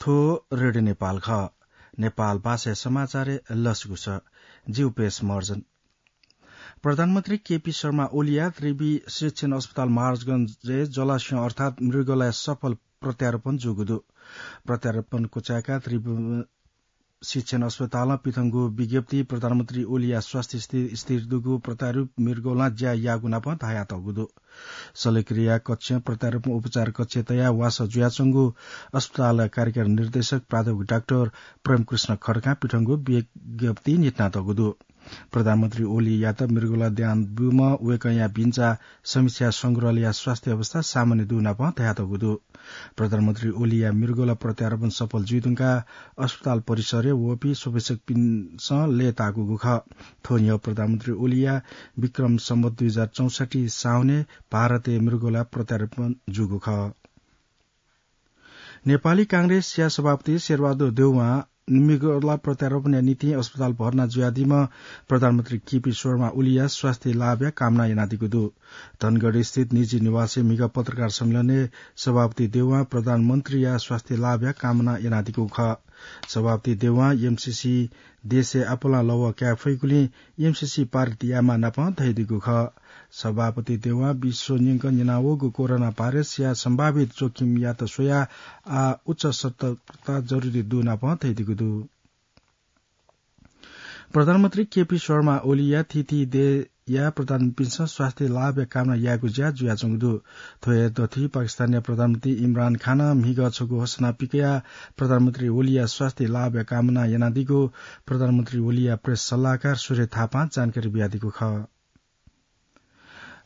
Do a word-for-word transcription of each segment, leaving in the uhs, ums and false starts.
थ्व रेडियो नेपाल खः। नेपाल भाषाया समाचारय् लसकुस। जिगु पेश मर्जन। प्रधानमन्त्री केपी शर्मा ओलीया त्रिवि शिक्षण अस्पताल महाराजगंजय् जलाशयं अर्थात् मृगौलाया सफल प्रत्यारोपण जूगु दु। प्रत्यारोपण क्वचाय्काः त्रिवि शिक्षण अस्पतालं पिथंगु विज्ञप्ति प्रधानमन्त्री ओलीया स्वास्थ्य स्थिति स्थिर दुगु प्रत्यारोपित मृगौलां ज्या याःगु नाप धयातःगु दु। शल्यक्रिया कक्षं प्रत्यारोपण उपचार कक्षय् तयाः वासः जुयाच्वंगु अस्पतालया कार्यकारी निर्देशक प्राध्यापक डाक्टर प्रेमकृष्ण खड्कां पिथंगु विज्ञप्ति न्ह्यथनातःगु दु। प्रधानमन्त्री ओलीयात मृगौला दान ब्यूम्ह वय्कःया भिंचा समीक्षा संग्रहालयया स्वास्थ्य अवस्था सामान्य दु नाप धयातःगु दु। प्रधानमन्त्री ओलीया मृगौला प्रत्यारोपण सफल जुइधुंकाः अस्पताल परिसरय् वःपिं स्वपक्षपिन्सं लय्ताकूगु खः। थ्व न्ह्यः प्रधानमन्त्री ओलीया विक्रम सम्वत दुई हजार चौसट्ठी साउनय् भारतय् मृगौला प्रत्यारोपण जूगु खः। नेपाली कांग्रेसया सभापति शेरबहादुर देउवां मृगौला प्रत्यारोपणया निंतिं अस्पताल भर्ना जुयादीम्ह प्रधानमन्त्री केपी शर्मा ओलीया स्वास्थ्य लाभया कामना यानादीगु दु। धनगढी स्थित निजी निवासय् म्हिगः पत्रकार सम्मेलनय् सभापति देउवां प्रधानमन्त्रीया स्वास्थ्य लाभया कामना यानादीगु खः। सभापति देउवां एमसीसी देशय् आपालं लवः काये फइगुलिं एमसीसी पारित यायेमाः नाप धयादीगु खः। सभापति देउवां विश्व न्यंकं न्यनावःगु कोरोना भाइरसया सम्भावित जोखिमयात स्वयाः आः उच्च सतर्कता जरुरी दु नाप धयादीगु दु। प्रधानमन्त्री केपी शर्मा ओलीया थीथी देय्या प्रधानमन्त्रीपिन्सं स्वास्थ्य लाभया कामना यायेगु ज्या जुयाच्वंगु दु। थ्व हे दथुइ पाकिस्तानया प्रधानमन्त्री इमरान खानं म्हिगः छगू हसना पिकयाः प्रधानमन्त्री ओलीया स्वास्थ्य लाभया कामना यानादीगु प्रधानमन्त्री ओलीया प्रेस सल्लाहकार सुरेश थापां जानकारी बियादीगु खः।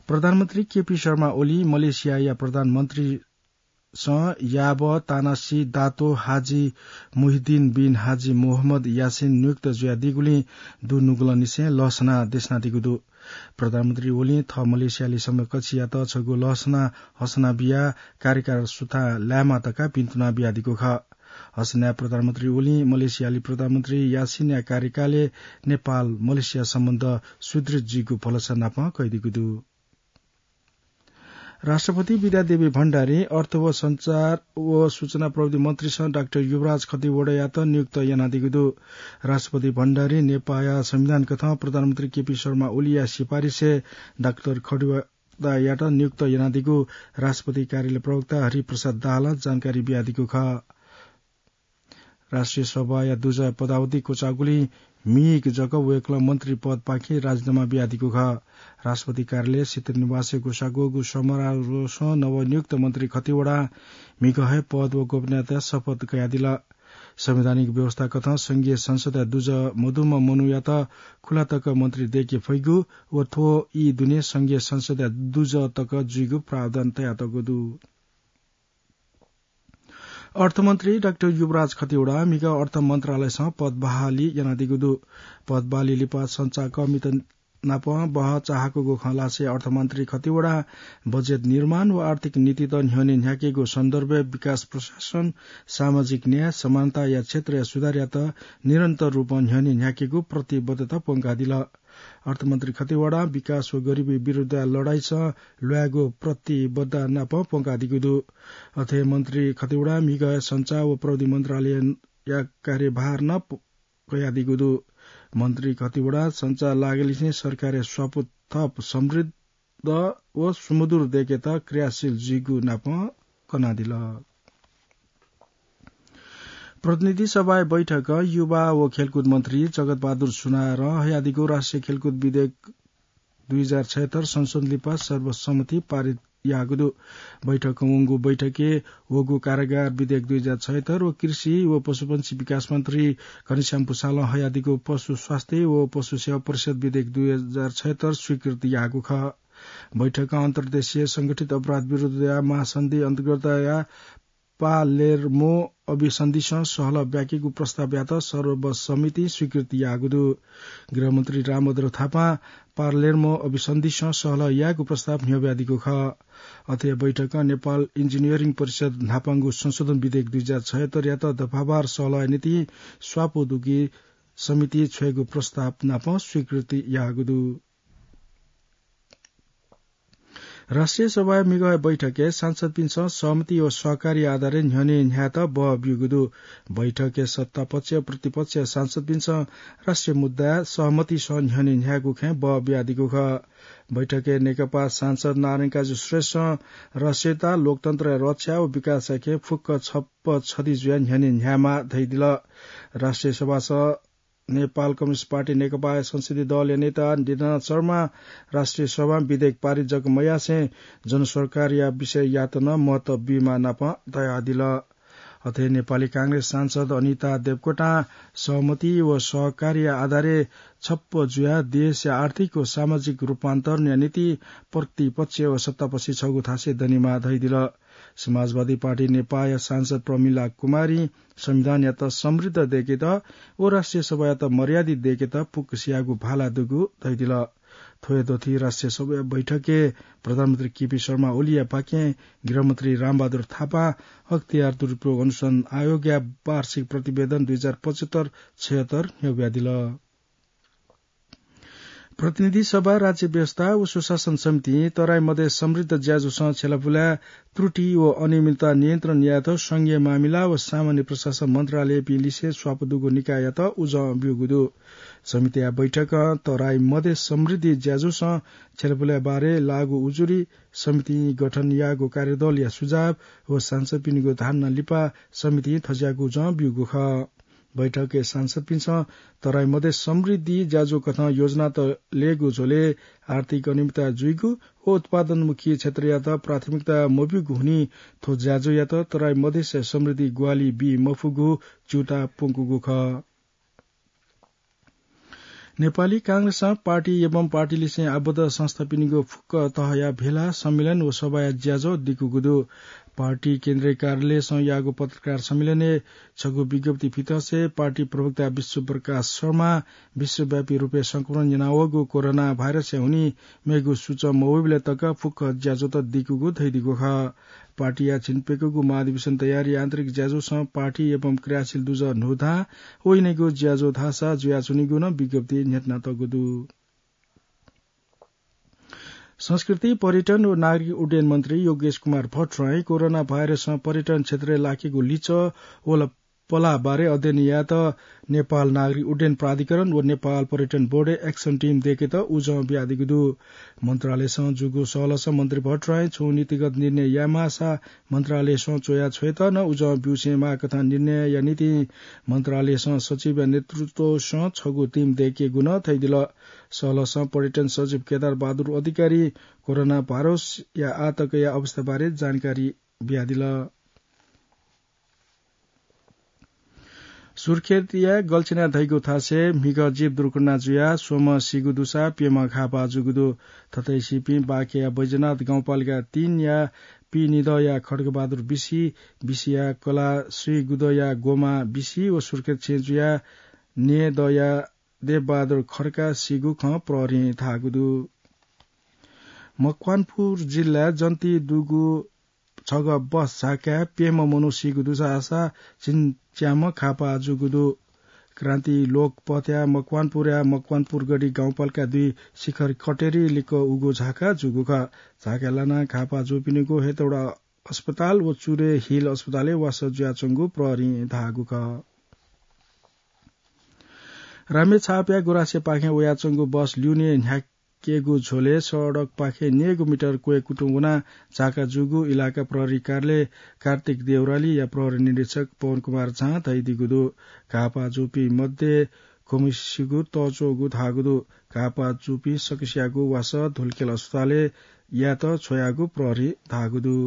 प्रधानमन्त्री केपी शर्मा ओली मलेसियाया प्रधानमन्त्रीसं याबः तानासी दातो हाजी मुहिद्दीन बिन हाजी मोहम्मद यासिन नियुक्त जुयादीगुलिं दुनुगलंनिसें लसना देछानादीगु दु। प्रधानमन्त्री ओलीं थः मलेसियाली समकक्षयात छगू लसना हसना बियाः कार्यकाल सुथां लायेमा धकाः बिन्तुना बियादीगु खः। हसनाय् प्रधानमन्त्री ओलीं मलेसियाली प्रधानमन्त्री यासिनया कार्यकालय् नेपाल मलेसिया सम्बन्ध सुदृढ जुइगु भलसा नाप कयादीगु दु। राष्ट्रपति विद्यादेवी भण्डारीं अर्थ व सञ्चार व सूचना प्रविधि मन्त्रीसं डाक्टर युवराज खतिवडायात नियुक्त यानादीगु दु। राष्ट्रपति भण्डारीं नेपाःया संविधान कथं प्रधानमन्त्री केपी शर्मा ओलीया सिफारिसय् डाक्टर खतिवडायात नियुक्त यानादीगु राष्ट्रपति कार्यालय प्रवक्ता हरिप्रसाद दाहालं जानकारी बियादीगु खः। राष्ट्रिय सभाया दुजः पदावधि क्वचाःगुलिं म्हिगः जक वय्कलं मन्त्री पदपाखें राजीनामा बियादीगु खः। राष्ट्रपति कार्यालय सित्तैंनिवासय् ग्वसाः ग्वःगु समारोहं नवनियुक्त मन्त्री खतिवडां म्हिगः हे पद व गोपनीयताया शपथ कयादिल। संवैधानिक व्यवस्था कथं संघीय संसदया दुजः मदुम्ह मनूयात खुला तक मन्त्री दय्के फइगु व थ्व ई दुने संघीय संसदया दुजः तक जुइगु प्रावधान तयातःगु दु। अर्थमन्त्री डाक्टर युवराज खतिवडां म्हिगः अर्थ मन्त्रालयसं पद बहाली यानादीगु दु। पद बहाली लिपा संचारकर्मीत नाप बहःचाहाकूगु खँ ल्हासें अर्थमन्त्री खतिवडां बजेट निर्माण व आर्थिक नीतित न्ह्यःने न्ह्याकेगु सन्दर्भय् विकास प्रशासन, सामाजिक न्याय, समानताया क्षेत्रया सुधारयात निरन्तर रूपं न्ह्यःने न्ह्याकेगु प्रतिबद्धता प्वंकादिल। अर्थमन्त्री खतिवडां विकास व गरिबी विरुद्धया लडाइँसं ल्वायेगु प्रतिबद्धता नाप प्वंकादीगु दु। अथे मन्त्री खतिवडां म्हिगः संचार व प्रविधि मन्त्रालयया कार्यभार नं प-, कयादीगु दु। मन्त्री खतिवडां संचार लागलिसें सरकारया स्वापू थप समृद्ध व सुमधुर दय्केत क्रियाशील जुइगु नाप कनादिल। प्रतिनिधि सभाया बैठकं युवा व खेलकुद मन्त्री जगत बहादुर सुनारं हयादीगु राष्ट्रिय खेलकुद विधेयक दुई हजार छयत्तर संशोधन लिपा सर्वसम्मति पारित याःगु दु। बैठकं वंगु बैठकय् वःगु कारागार विधेयक दुई हजार छयत्तर व कृषि व पशुपंक्षी विकास मन्त्री घनश्याम भुसालं हयादीगु पशु स्वास्थ्य व पशु सेवा परिषद विधेयक दुई हजार छयत्तर स्वीकृति याःगु खः। बैठकं अन्तर्देशीय संगठित अपराध विरुद्धया महासन्धि अन्तर्गतया पालेर्मो अभिसन्धिसं सहलह ब्याकेगु प्रस्तावयात सर्वसम्मतिं स्वीकृति याःगु दु। गृहमन्त्री रामभद्र थापां पालेर्मो अभिसन्धिसं सहलह यायेगु प्रस्ताव न्ह्यब्यादीगु खः। अथे बैठकं नेपाल इन्जिनियरिङ परिषद न्हापांगु संशोधन विधेयक दुई हजार छयत्तरयात दफावार सहलहया निंतिं स्वापू दुगु समिति छ्वयेगु प्रस्ताव नाप स्वीकृति याःगु दु। राष्ट्रिय सभाया मिगः बैठकय् सांसदपिन्सं सहमति व सहकारी आधारय् न्ह्यःने न्ह्यायेत बः ब्यूगु दु। बैठकय् सत्तापक्ष, प्रतिपक्ष सांसदपिन्सं राष्ट्रिय मुद्दा सहमतिसं न्ह्यःने न्ह्यायेगु खँय् बः बियादीगु खः। बैठकय् नेकपा सांसद नारायणकाजी श्रेष्ठं राष्ट्रियता, लोकतन्त्रया रक्षा व विकासया खँय् फुक्क छप्प छधि जुयाः न्ह्यःने न्ह्यायेमाः धयादिल। राष्ट्रिय सभासं नेपाल कम्युनिस्ट पार्टी नेकपाया संसदीय दलया नेता दीनाथ शर्मा राष्ट्रिय सभां विधेयक पारित जक मयासें जनसरकारया विषययात नं महत्व बीमाः नापं धयादिल। अथे नेपाली कांग्रेस सांसद अनिता देवकोटां सहमति व सहकार्य आधारय् छप्प जुयाः देशया आर्थिक व सामाजिक रूपान्तरणया निंतिं प्रतिपक्ष व सत्तापक्ष छगू थासय् दनेमाः धयादिल। समाजवादी पार्टी नेपाया सांसद प्रमिला कुमारीं संविधानयात समृद्ध दय्केत व राष्ट्रिय सभायात मर्यादित दय्केत फुक्कसियागु भाला दुगु धयादिल। थ्व हे दथुइ राष्ट्रिय सभाया बैठकय् प्रधानमन्त्री केपी शर्मा ओलीया पाखें गृहमन्त्री रामबहादुर थापां अख्तियार दुरुपयोग अनुसन्धान आयोगया वार्षिक प्रतिवेदन दुई हजार पचहत्तर छयहत्तर न्ह्यब्वयादिल। प्रतिनिधि सभा, राज्य व्यवस्था व सुशासन समितिं तराई मधेस समृद्ध ज्याझ्वलय् छ्यलापुलाय् त्रुटि व अनियमितता नियन्त्रण यायेत संघीय मामिला व सामान्य प्रशासन मन्त्रालयपिं लिसे स्वापू दुगु निकाययात उजं ब्यूगु दु। समितिया बैठकं तराई मधेस समृद्धि ज्याझ्वलय् छ्यलापुलाय् बारे लाःगु उजुरी, समितिं गठन याःगु कार्यदलया सुझाव व सांसदपिनिगु धारणा लिपा समितिं थज्याःगु उजं ब्यूगु खः। बैठकय् सांसदपिन्सं तराई मधेस समृद्धि ज्याझ्वः कथं योजना त लय्‌गु झ्वलय् आर्थिक अनियमितता जुइगु व उत्पादनमुखी क्षेत्रयात प्राथमिकता मब्यूगु हुनिं थ्व ज्याझ्वःयात तराई मधेस समृद्धि ग्वाहालि बी मफुगु च्यूताः प्वंकूगु खः। नेपाली कांग्रेसं पार्टी एवं पार्टीलिसें आबद्ध संस्थापिनिगु फुक्क तहया भेला, सम्मेलन व सभाया ज्याझ्वः दिकूगु दु। पार्टी केन्द्रीय कार्यालयसं याःगु पत्रकार सम्मेलनय् छगू विज्ञप्ति पिथंसे पार्टी प्रवक्ता विश्वप्रकाश शर्मां विश्वव्यापी रूपय् संक्रमण यानावःगु कोरोना भाइरसया हुनिं मेगु सूचं मवइबलय् तक फुक्क ज्याझ्वःत दिकूगु धयादीगु खः। पार्टीया झिंप्यकूगु महाधिवेशन तयारी आन्तरिक ज्याझ्वलय् पार्टी एवं क्रियाशील दुजः न्हूथां वइनेगु ज्याझ्वः धाःसा जुयाच्वनीगु नं विज्ञप्तिइ न्ह्यथनातःगु दु। संस्कृति, पर्यटन व नागरिक उड्डयन मन्त्री योगेश कुमार भट्टराईं कोरोना भाइरसं पर्यटन क्षेत्रय् लाकेगु लिचः व ल-, पलाः बारे अध्ययन यायेत नेपाल नागरिक उड्डयन प्राधिकरण व नेपाल पर्यटन बोर्डय् action team दय्केत उजं बियादीगु दु। मन्त्रालयसं जूगु सहलसं मन्त्री भट्टराईं छुं नीतिगत निर्णय यायेमाःसा मन्त्रालयसं च्वया छ्वयेत नं उजं ब्यूसेंमाः कथं निर्णयया निंतिं मन्त्रालयसं सचिवया नेतृत्वसं छगू team दय्केगु नं धयादिल। सहलसं पर्यटन सचिव केदार बहादुर अधिकारीं कोरोना भाइरसया आःतकया अवस्थाबारे जानकारी बियादिल। सुर्खेतया गल्छिना धइगु थासय् म्हिगः जीप दुर्घटना जुयाः स्वम्ह सीगु दुसा प्यम्ह घाःपाः जूगु दु। थथे सीपिं बाँकेया बैजनाथ गाउँपालिका तीनया पीनिदँया खड्गबहादुर बिसी, बिसीया कलासुइगुदँया गोमा बिसी व सुर्खेत छेँजुया न्येदँया देवबहादुर खड्का सीगु खँ प्रहरीं धाःगु दु। मकवानपुर जिल्लाय् जन्ती दुगु छगः बस झाकाय् प्यम्ह मनू सीगु दुसा झिंच्याम्ह घाःपाः जूगु दु। क्रान्ति लोक पथया मकवानपुरया मकवानपुरगढी गाउँपालिका दुई शिखर कटेरी लिक्क उगु झाका जूगु खः। झाका लानाः घाःपाः जूपिनिगु हेटौडा अस्पताल व चुरे हिल अस्पतालय् वासः जुयाच्वंगु प्रहरीं धाःगु खः। रामेछापया गुराँसेपाखें वयाच्वंगु बस ल्यूने न्ह्याकेगु झ्वलय् सडकपाखें न्यय्गू मिटर क्वय् कुतुं वनाः झाका जूगु इलाका प्रहरी कार्यालय कार्तिक देउरालीया प्रहरी निरीक्षक पवन कुमार झां धयादीगु दु। घाःपाः जूपिं मध्ये गुम्हसिगु तःच्वःगु धाःगु दु। घाःपाः जूपिं सकसियागु वासः धुलिखेल अस्पतालय् यायेत छ्वयागु प्रहरीं धाःगु दु।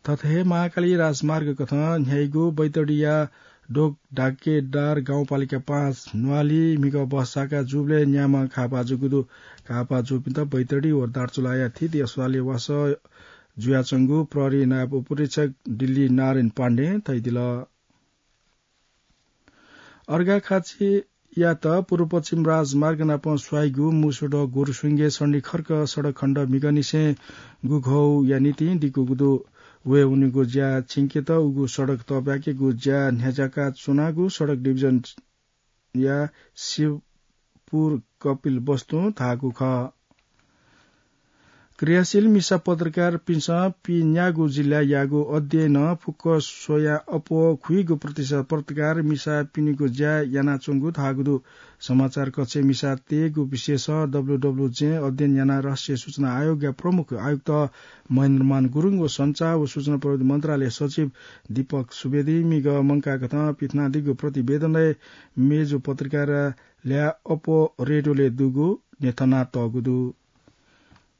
थथे हे महाकाली राजमार्ग कथं न्ह्याइगु बैतडीया डोक डाकेदार गाउँपालिका पाँच न्वाली म्हिगः बस झाका जूबलय् न्याम्ह घाःपाः जूगु दु। घाःपाः जूपिन्त बैतडी व दार्चुलाया थीथी अस्पतालय् वासः जुयाच्वंगु प्रहरी नायब उपरीक्षक दिल्ली नारायण पाण्डें धयादिल। अर्घाखाँचीयात पूर्व पश्चिम राजमार्ग नाप स्वाइगु मुसुडः गोरुसुंगे सन्धिखर्क सडक खण्ड म्हिगःनिसें गुघौया निंतिं दिकूगु दु। वये वनेगु ज्या छिंकेत उगु सडक तःब्याकेगु ज्या न्ह्याज्याका च्वनागु सडक डिभिजनया शिवपुर कपिल वस्तुं धाःगु खः। क्रियाशील मिसा पत्रकारपिन्सं पि न्यागू जिल्लायागु अध्ययनं फुक्क स्वयाः अप्वः खुइगु प्रतिशत पत्रकार मिसापिनिगु ज्या यानाच्वंगु धाःगु दु। समाचार कक्षय् मिसा तयेगु विषयस डब्ल्यूडब्ल्यू जें अध्ययन यानाः राष्ट्रिय सूचना आयोगया प्रमुख आयुक्त महेन्द्रमान गुरुङ व सञ्चार व सूचना प्रविधि मन्त्रालय सचिव दीपक सुवेदीमिगं मंकाकथं पिथनादीगु प्रतिवेदनय् मेजु पत्रकार ल्याः अप्वः रेडियोलय् दुगु न्ह्यथनातःगु दु।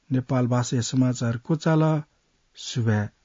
नेपाल भाषाया समाचार क्वचाल। सुभाय्।